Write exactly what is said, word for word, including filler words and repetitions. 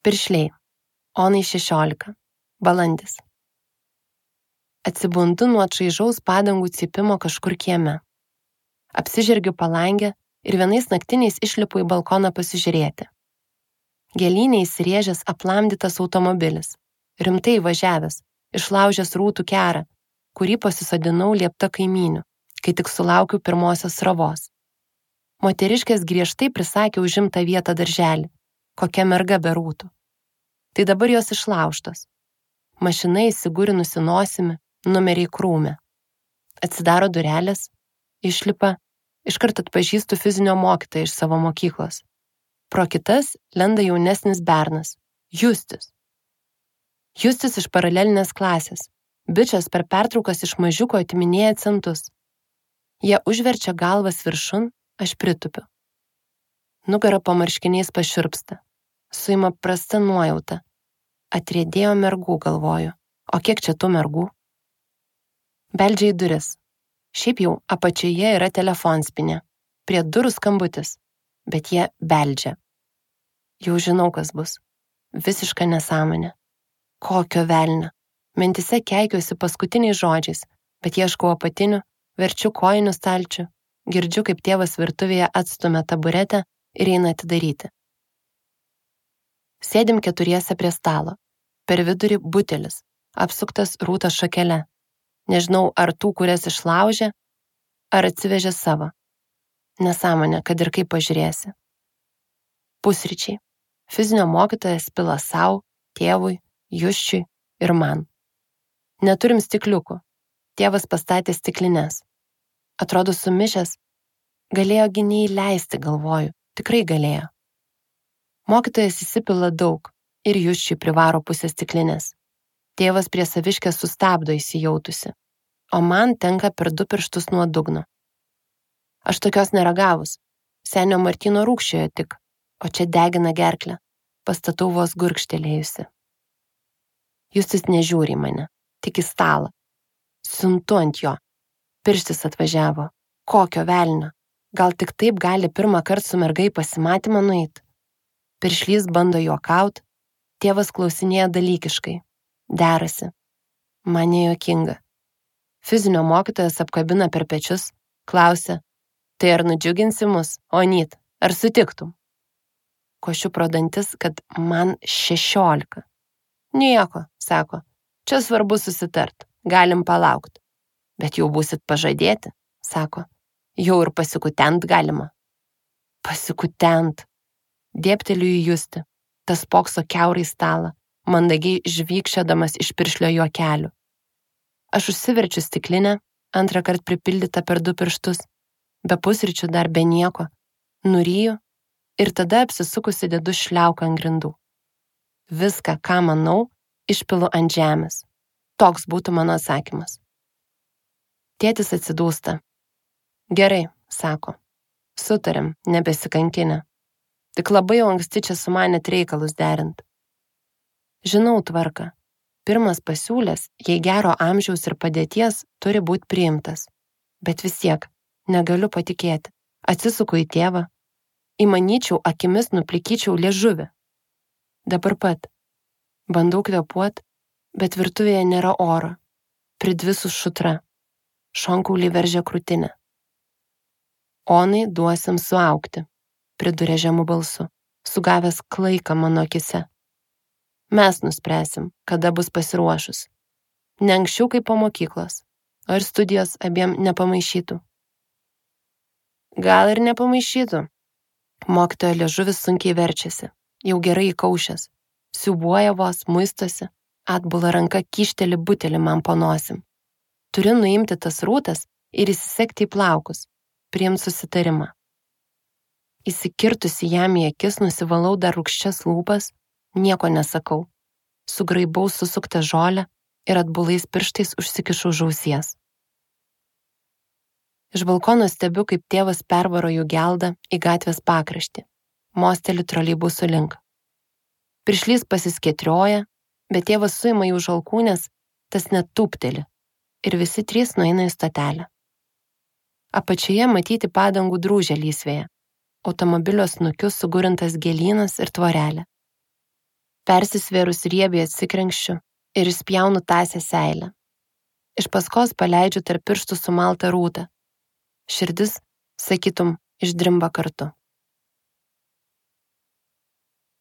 Piršliai. Onai šešiolika. Balandis. Atsibundu nuo čaižaus padangų cypimo kažkur kieme. Apsižergiu palangę ir vienais naktiniais išlipu į balkoną pasižiūrėti. Gėlynė įsirėžęs aplamdytas automobilis, rimtai važiavęs, išlaužęs rūtų kerą, kurį pasisodinau liepta kaimynių, kai tik sulaukiu pirmosios sravos. Moteriškės griežtai prisakė užimtą vietą darželį, kokia merga be rūtų. Tai dabar jos išlaužtos. Mašina įsigūrinusi nosimi, numeriai krūme. Atsidaro durelės, išlipa, iškart atpažįstu fizinio mokytoją iš savo mokyklos. Pro kitas lenda jaunesnis bernas, Justis. Justis iš paralelinės klasės. Bičas per pertraukas iš mažiuko atiminėja centus. Jie užverčia galvas viršun, aš pritupiu. Nugara po marškiniais pašiurpsta. Suima prasta nuojauta. Atriedėjo mergų, galvoju. O kiek čia tų mergų? Beldžia į duris. Šiaip jau apačioje yra telefonspinė. Prie durų skambutis. Bet jie beldžia. Jau žinau, kas bus. Visiška nesąmonė. Kokio velnio. Mintise keikiuosi paskutiniais žodžiais, bet ieškau apatinių, verčiu kojinių stalčių, girdžiu, kaip tėvas virtuvėje atstumia taburetę ir eina atidaryti. Sėdim keturiese prie stalo. Per vidurį butelis, apsuktas rūtos šakele. Nežinau, ar tų, kurias išlaužė, ar atsivežė savo. Nesąmonė, kad ir kaip pažiūrėsi. Pusryčiai. Fizinio mokytojas pila sau, tėvui, Jusčiui ir man. Neturim stikliukų. Tėvas pastatė stiklines. Atrodo sumišęs. Galėjo gi neįleisti, galvoju. Tikrai galėjo. Mokytojas įsipila daug ir Jusčiui privaro pusę stiklinės. Tėvas prie saviškės sustabdo įsijautusi, o man tenka per du pirštus nuo dugno. Aš tokios neragavus. Senio Martyno rūgščiojo tik, o čia degina gerklę. Pastatau vos gurkštelėjusi. Justis nežiūri į mane, tik į stalą. Siuntu ant jo. Pirštis atvažiavo. Kokio velnio? Gal tik taip gali pirmą kartą su mergai pasimatymą nueit? Piršlys bando juokaut, tėvas klausinėja dalykiškai. Derasi. Man nejuokinga. Fizinio mokytojas apkabina per pečius, klausia, tai ar nudžiuginsi mus, Onyt, ar sutiktum? Košiu pro dantis, kad man šešiolika. Nieko, sako, čia svarbu susitart, galim palaukt. Bet jau būsit pažadėti, sako, jau ir pasikutent galima. Pasikutent. Dėpteliu į Justį, tas pokso kiaurai stalą, mandagiai žvykščiodamas iš piršlio juokelių. Aš užsiverčiu stiklinę, antrą kart pripildytą per du pirštus, be pusryčių dar be nieko, nuryju ir tada apsisukusi dedu šliauką ant grindų. Viską, ką manau, išpilu ant žemės. Toks būtų mano atsakymas. Tėtis atsidūsta. Gerai, sako. Sutarėm, nebesikankinę. Tik labai jau anksti čia sumanėt reikalus derint. Žinau tvarką. Pirmas pasiūlės, jei gero amžiaus ir padėties, turi būti priimtas. Bet vis tiek, negaliu patikėti. Atsisuku į tėvą. Įmanyčiau, akimis nuplikyčiau liežuvį. Dabar pat. Bandau kvėpuot, bet virtuvėje nėra oro. Pridvisus šutra. Šonkaulį veržia krūtinę. Onai duosim suaugti, priduria žemu balsu, sugavęs klaiką mano akise. Mes nuspręsim, kada bus pasiruošus. Ne anksčiau kaip po mokyklos, o ir studijos abiem nepamaišytų. Gal ir nepamaišytų. Mokytojo liežuvis sunkiai verčiasi, jau gerai įkaušęs. Siubuoja vos, muistosi, atbula ranka kyšteli butelį man po nosim. Turiu nuimti tas rūtas ir įsisekti į plaukus, priimt susitarimą. Įsikirtusi jam į akis nusivalau dar rūgščias lūpas, nieko nesakau. Sugraibau susuktą žolę ir atbulais pirštais užsikišau žausies. Iš balkono stebiu, kaip tėvas pervaro jų geldą į gatvės pakraštį. Mosteli troleibusų link. Piršlys pasiskėtrioja, bet tėvas suima jų žalkūnės, tas net tūpteli. Ir visi trys nueina į stotelę. Apačioje matyti padangų drūžę lysvėje. Automobilio snukiu sugurintas gėlynas ir tvorelė. Persisvėrus riebiai atsikrenkščiu ir išspjaunu tąsią seilę. Iš paskos paleidžiu tarp pirštų sumaltą rūtą. Širdis, sakytum, išdrimba kartu.